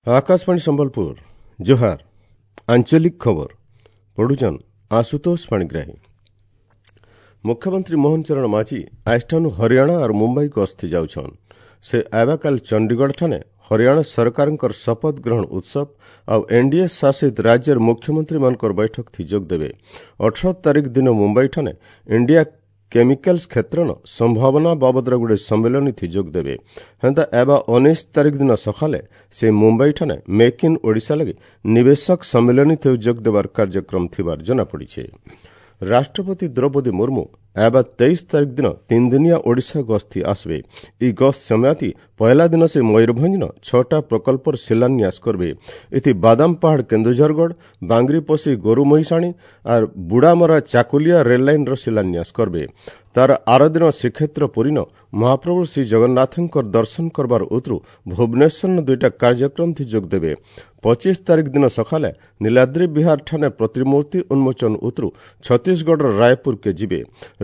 ଆକାଶବାଣୀ ସମ୍ବଲପୁର, ଜୁହାର। ଆଞ୍ଚଳିକ ଖବର ପଢୁଛନ୍ ଆଶୁତୋଷ ପାଣିଗ୍ରାହୀ। ମୁଖ୍ୟମନ୍ତ୍ରୀ ମୋହନ ଚରଣ ମାଝୀ ଆଜଠାନୁ ହରିୟାଣା ଆର୍ ମୁମ୍ବାଇ ଗସ୍ତି ଯାଉଛନ୍। ସେ ଆବାକାଲ ଚଣ୍ଡିଗଡ଼ଠାରେ ହରିୟାଣା ସରକାରଙ୍କର ଶପଥ ଗ୍ରହଣ ଉତ୍ସବ ଆଉ ଏନ୍ଡିଏ ଶାସିତ ରାଜ୍ୟର ମୁଖ୍ୟମନ୍ତ୍ରୀମାନଙ୍କର ବୈଠକ ଥି ଯୋଗ ଦେବେ। 18 ତାରିଖ ଦିନ ମୁମ୍ବାଇଠାରେ ଇଣ୍ଡିଆ କେମିକାଲ୍ସ କ୍ଷେତ୍ରନ ସମ୍ଭାବନା ବାବଦର ଗୋଟେ ସମ୍ମିଳନୀ ଥି ଯୋଗ ଦେବେ। ହେନ୍ତା ଏବା 19 ତାରିଖ ଦିନ ସକାଳେ ସେ ମୁମ୍ବାଇଠାରେ ମେକ୍ ଇନ୍ ଓଡ଼ିଶା ଲାଗି ନିବେଶକ ସମ୍ମିଳନୀ ଥି ଯୋଗ ଦେବାର କାର୍ଯ୍ୟକ୍ରମ ଥିବାର ଜଣାପଡ଼ିଛି। ରାଷ୍ଟ୍ରପତି ଦ୍ରୌପଦୀ ମୁର୍ମୁ ଏବା 23 ତାରିଖ ଦିନ 3 ଦିନିଆ ଓଡ଼ିଶା ଗସ୍ତି ଆସିବେ। ଇ ଗସ୍ତ ସମୟାତି ପହଲା ଦିନ ସେ ମୟୂରଭଞ୍ଜନ 6ଟା ପ୍ରକଳ୍ପର ଶିଳାନ୍ୟାସ କରିବେ। ଏଥି ବାଦାମ ପାହାଡ଼ କେନ୍ଦୁଝରଗଡ଼, ବାଙ୍ଗରିପୋଷି ଗୋରୁମହିଷାଣୀ ଆର୍ ବୁଡ଼ାମରା ଚାକୁଲିଆ ରେଲ୍ ଲାଇନ୍ର ଶିଳାନ୍ୟାସ କରିବେ। ତାର ଆର ଦିନ ଶ୍ରୀକ୍ଷେତ୍ର ପୁରୀନ ମହାପ୍ରଭୁ ଶ୍ରୀ ଜଗନ୍ନାଥଙ୍କର ଦର୍ଶନ କରବାର ଉତରୁ ଭୁବନେଶ୍ୱରନ 2ଟା କାର୍ଯ୍ୟକ୍ରମ ଥି ଯୋଗ ଦେବେ। 25 ତାରିଖ ଦିନ ସକାଳେ ନୀଳାଦ୍ରି ବିହାର ଠାନେ ପ୍ରତିମୂର୍ତ୍ତି ଉନ୍ମୋଚନ ଉତରୁ ଛତିଶଗଡ଼ର ରାୟପୁରକେ ଯିବେ।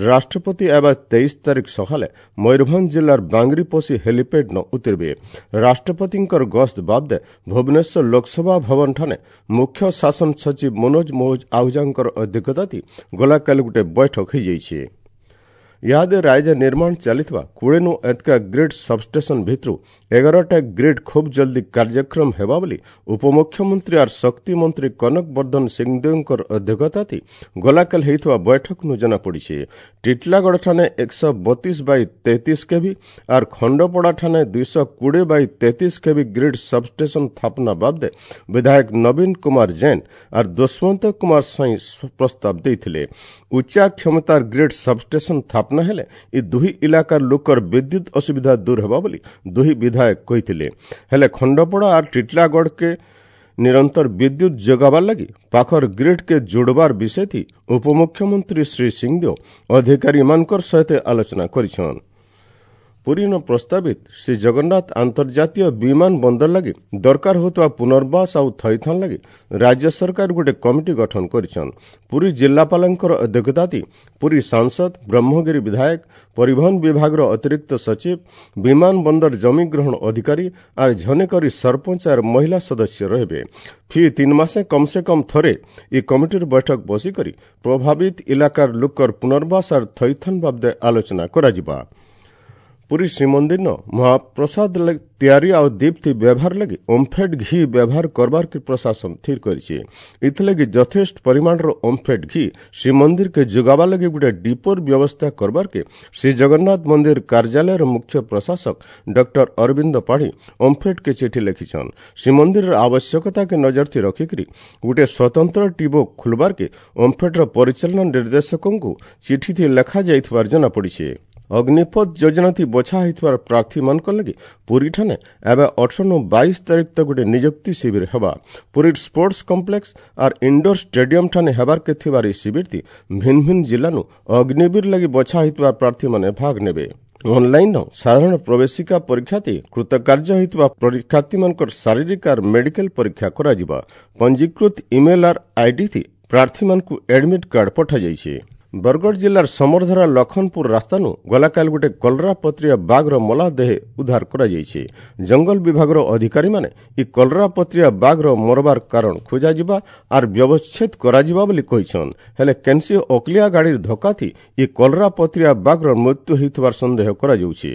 ରାଷ୍ଟ୍ରପତି ଏବା 23 ତାରିଖ ସକାଳେ ମୟୂରଭଞ୍ଜ ଜିଲ୍ଲାର ବାଙ୍ଗରିପୋଷି ହେଲିପେଡ୍ ନ ଉତରିବେ। ରାଷ୍ଟ୍ରପତିଙ୍କର ଗସ୍ତ ବାବଦେ ଭୁବନେଶ୍ୱର ଲୋକସଭା ଭବନଠାରେ ମୁଖ୍ୟ ଶାସନ ସଚିବ ମନୋଜ ମୋହଜ ଆହୁଜାଙ୍କର ଅଧ୍ୟକ୍ଷତାତି ଗଲାକାଲି ଗୋଟେ ବୈଠକ ହୋଇଯାଇଛି। ଇହାଦେ ରାଜ୍ୟ ନିର୍ମାଣ ଚାଲିଥିବା 20ନୁ ଏତକା ଗ୍ରିଡ୍ ସବଷ୍ଟେସନ ଭିତରୁ 11ଟା ଗ୍ରିଡ୍ ଖୁବ୍ ଜଲ୍ଦି କାର୍ଯ୍ୟକ୍ରମ ହେବା ବୋଲି ଉପମୁଖ୍ୟମନ୍ତ୍ରୀ ଆର୍ ଶକ୍ତି ମନ୍ତ୍ରୀ କନକ ବର୍ଦ୍ଧନ ସିଂଦେଓଙ୍କର ଅଧ୍ୟକ୍ଷତାତି ଗଲାକାଲି ହେଇଥିବା ବୈଠକନୁ ଜଣାପଡ଼ିଛି। ଟିଟଲାଗଡ଼ଠାରେ 132 ବାଇ 33 କେଭି ଆର୍ ଖଣ୍ଡପଡ଼ାଠାନେ 220 ବାଇ 33 କେଭି ଗ୍ରିଡ୍ ସବଷ୍ଟେସନ ସ୍ଥାପନା ବାବଦେ ବିଧାୟକ ନବୀନ କୁମାର ଜୈନ ଆର୍ ଦୁଷ୍ମନ୍ତ କୁମାର ସ୍ୱାଇଁ ପ୍ରସ୍ତାବ ଦେଇଥିଲେ। ଉଚ୍ଚା କ୍ଷମତାର ଗ୍ରିଡ୍ ସବଷ୍ଟେସନ ସ୍ଥାପନା ହେଲେ ଏ ଦୁହି ଇଲାକାର ଲୋକର ବିଦ୍ୟୁତ ଅସୁବିଧା ଦୂର ହେବ ବୋଲି ଦୁହି ବିଧାୟକ କହିଥିଲେ। ହେଲେ ଖଣ୍ଡପଡ଼ା ଆର୍ ଟିଟଲାଗଡ଼କେ ନିରନ୍ତର ବିଦ୍ୟୁତ ଯୋଗାବାର ଲାଗି ପାଖର ଗ୍ରିଡ୍କେ ଯୋଡ଼ବାର ବିଷୟଥି ଉପମୁଖ୍ୟମନ୍ତ୍ରୀ ଶ୍ରୀ ସିଂଦେଓ ଅଧିକାରୀମାନଙ୍କର ସହିତ ଆଲୋଚନା କରିଛନ୍। ପୁରୀନ ପ୍ରସ୍ତାବିତ ଶ୍ରୀ ଜଗନ୍ନାଥ ଆନ୍ତର୍ଜାତୀୟ ବିମାନ ବନ୍ଦର ଲାଗି ଦରକାର ହେଉଥିବା ପୁନର୍ବାସ ଆଉ ଥଇଥାନ ଲାଗି ରାଜ୍ୟ ସରକାର ଗୋଟେ କମିଟି ଗଠନ କରିଛନ୍। ପୁରୀ ଜିଲ୍ଲାପାଳଙ୍କର ଅଧ୍ୟକ୍ଷତାତି ପୁରୀ ସାଂସଦ, ବ୍ରହ୍ମଗିରି ବିଧାୟକ, ପରିବହନ ବିଭାଗର ଅତିରିକ୍ତ ସଚିବ, ବିମାନ ବନ୍ଦର ଜମି ଗ୍ରହଣ ଅଧିକାରୀ ଆର୍ ଝନେକରି ସରପଞ୍ଚ ଆର୍ ମହିଳା ସଦସ୍ୟ ରହିବେ। ଫି 3 ମାସେ କମ୍ ସେ କମ୍ ଥରେ ଇ କମିଟିର ବୈଠକ ବସିକରି ପ୍ରଭାବିତ ଇଲାକାର ଲୋକର ପୁନର୍ବାସ ଆର୍ ଥଇଥାନ ବାବଦେ ଆଲୋଚନା କରାଯିବା। ପୁରୀ ଶ୍ରୀମନ୍ଦିରନ ମହାପ୍ରସାଦ ତିଆରି ଆଉ ଦୀପ୍ତି ବ୍ୟବହାର ଲାଗି ଓମ୍ଫେଡ୍ ଘି ବ୍ୟବହାର କରବାର କି ପ୍ରଶାସନ ସ୍ଥିର କରିଛି। ଏଥିଲାଗି ଯଥେଷ୍ଟ ପରିମାଣର ଓମ୍ଫେଡ୍ ଘି ଶ୍ରୀମନ୍ଦିରକେ ଯୋଗାବା ଲାଗି ଗୋଟେ ଡିପୋର ବ୍ୟବସ୍ଥା କରବାରକେ ଶ୍ରୀ ଜଗନ୍ନାଥ ମନ୍ଦିର କାର୍ଯ୍ୟାଳୟର ମୁଖ୍ୟ ପ୍ରଶାସକ ଡକ୍ଟର ଅରବିନ୍ଦ ପାଢ଼ୀ ଓମ୍ଫେଡ୍କେ ଚିଠି ଲେଖିଛନ୍। ଶ୍ରୀମନ୍ଦିରର ଆବଶ୍ୟକତାକେ ନଜରଥି ରଖିକରି ଗୋଟେ ସ୍ୱତନ୍ତ୍ର ଡିପୋ ଖୋଲବାରକେ ଓମ୍ଫେଡ୍ର ପରିଚାଳନା ନିର୍ଦ୍ଦେଶକଙ୍କୁ ଚିଠିଥି ଲେଖାଯାଇଥିବାର ଜଣାପଡ଼ିଛି। ଅଗ୍ନିପଥ ଯୋଜନାଥି ବଛା ହେଇଥିବାର ପ୍ରାର୍ଥୀମାନଙ୍କ ଲାଗି ପୁରୀଠାନେ ଏବେ 18ନୁ 22 ତାରିଖ ତକ୍ ଗୋଟେ ନିଯୁକ୍ତି ଶିବିର ହେବା। ପୁରୀ ସ୍ପୋର୍ଟସ କମ୍ପ୍ଲେକ୍ସ ଆର୍ ଇଣ୍ଡୋର ଷ୍ଟାଡିୟମ ଠାନେ ହେବାରକେ ଥିବାର ଏହି ଶିବିରତି ଭିନ୍ନ ଭିନ୍ନ ଜିଲ୍ଲାନୁ ଅଗ୍ନିବୀର ଲାଗି ବଛା ହେଇଥିବା ପ୍ରାର୍ଥୀମାନେ ଭାଗ ନେବେ। ଅନଲାଇନ ସାଧାରଣ ପ୍ରବେଶିକା ପରୀକ୍ଷାତି କୃତକାର୍ଯ୍ୟ ହୋଇଥିବା ପରୀକ୍ଷାର୍ଥୀମାନଙ୍କର ଶାରୀରିକ ଆର୍ ମେଡିକାଲ ପରୀକ୍ଷା କରାଯିବ। ପଞ୍ଜୀକୃତ ଇମେଲ ଆର୍ ଆଇଡି ଥି ପ୍ରାର୍ଥୀମାନଙ୍କୁ ଆଡମିଟ୍ କାର୍ଡ ପଠାଯାଇଛି। ବରଗଡ଼ ଜିଲ୍ଲାର ସମରଧରା ଲଖନପୁର ରାସ୍ତାନୁ ଗଲାକାଲି ଗୋଟେ କଲରା ପତ୍ରିଆ ବାଘର ମଲା ଦେହ ଉଦ୍ଧାର କରାଯାଇଛି। ଜଙ୍ଗଲ ବିଭାଗର ଅଧିକାରୀମାନେ ଇ କଲରା ପତ୍ରିଆ ବାଘର ମରବାର କାରଣ ଖୋଜାଯିବା ଆର୍ ବ୍ୟବଚ୍ଛେଦ କରାଯିବା ବୋଲି କହିଛନ୍। ହେଲେ କେନ୍ସି ଅକଲିଆ ଗାଡ଼ିର ଧକ୍କାଥି ଇ କଲରା ପତ୍ରିଆ ବାଘର ମୃତ୍ୟୁ ହୋଇଥିବାର ସନ୍ଦେହ କରାଯାଉଛି।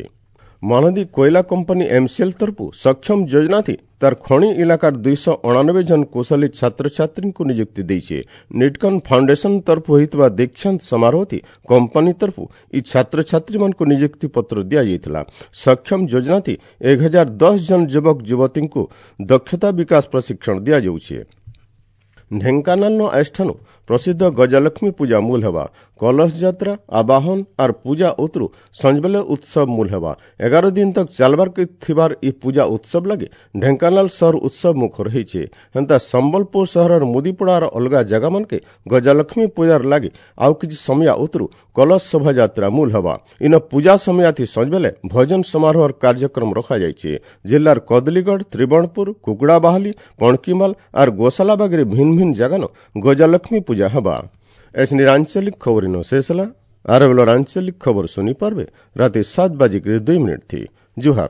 ମହାନଦୀ କୋଇଲା କମ୍ପାନୀ ଏମ୍ସିଏଲ୍ ତରଫୁ ସକ୍ଷମ ଯୋଜନାଥି ତାର ଖଣି ଇଲାକାର 289 ଜଣ କୁଶଳୀ ଛାତ୍ରଛାତ୍ରୀଙ୍କୁ ନିଯୁକ୍ତି ଦେଇଛି। ନିଟକନ୍ ଫାଉଣ୍ଡେସନ ତରଫୁ ହୋଇଥିବା ଦୀକ୍ଷାନ୍ତ ସମାରୋହଥି କମ୍ପାନୀ ତରଫୁ ଇ ଛାତ୍ରଛାତ୍ରୀମାନଙ୍କୁ ନିଯୁକ୍ତି ପତ୍ର ଦିଆଯାଇଥିଲା। ସକ୍ଷମ ଯୋଜନାଥି 1010 ଜଣ ଯୁବକ ଯୁବତୀଙ୍କୁ ଦକ୍ଷତା ବିକାଶ ପ୍ରଶିକ୍ଷଣ ଦିଆଯାଉଛି। ଢେଙ୍କାନାଳନ ଆଜଠାନୁ ପ୍ରସିଦ୍ଧ ଗଜଲକ୍ଷ୍ମୀ ପୂଜା ମୂଲ ହେବା। କଲଶ ଯାତ୍ରା, ଆବାହନ ଆର୍ ପୂଜା ଉତରୁ ସଞ୍ଜବେଲେ ଉତ୍ସବ ମୂଲ ହେବା। 11 ଦିନ ତକ ଚାଲବାର ଥିବାର ଇ ପୂଜା ଉତ୍ସବ ଲାଗି ଢେଙ୍କାନାଳ ସହର ଉତ୍ସବ ମୁଖର ହେଇଛେ। ହେନ୍ତା ସମ୍ବଲପୁର ସହରର ମୁଦିପଡ଼ାର ଅଲଗା ଜାଗାମାନକେ ଗଜଲକ୍ଷ୍ମୀ ପୂଜାର ଲାଗି ଆଉ କିଛି ସମୟା ଉତରୁ କଲଶ ଶୋଭାଯାତ୍ରା ମୂଲ ହେବା। ଇନ ପୂଜା ସମୟାଥି ସଞ୍ଜବେଲେ ଭଜନ ସମାରୋହର କାର୍ଯ୍ୟକ୍ରମ ରଖାଯାଇଛି। ଜିଲ୍ଲାର କଦଲୀଗଡ଼, ତ୍ରିବଣପୁର, କୁକୁଡ଼ାବାହାଲି, ପଣକିମାଲ ଆର୍ ଗୋଶାଲାବାଗରେ ଭିନ୍ନ ଭିନ୍ନ ଜାଗାନ ଗଜଲକ୍ଷ୍ମୀ ପୂଜା ହେବା। ଏସନିର ଆଞ୍ଚଳିକ ଖବର ଇନ ଶେଷ ହେଲା। ଆର ବେଲର ଆଞ୍ଚଳିକ ଖବର ଶୁନି ପାରବେ ରାତି 7 ବାଜିକରି 2 ମିନିଟ୍ ଥି। ଜୁହାର।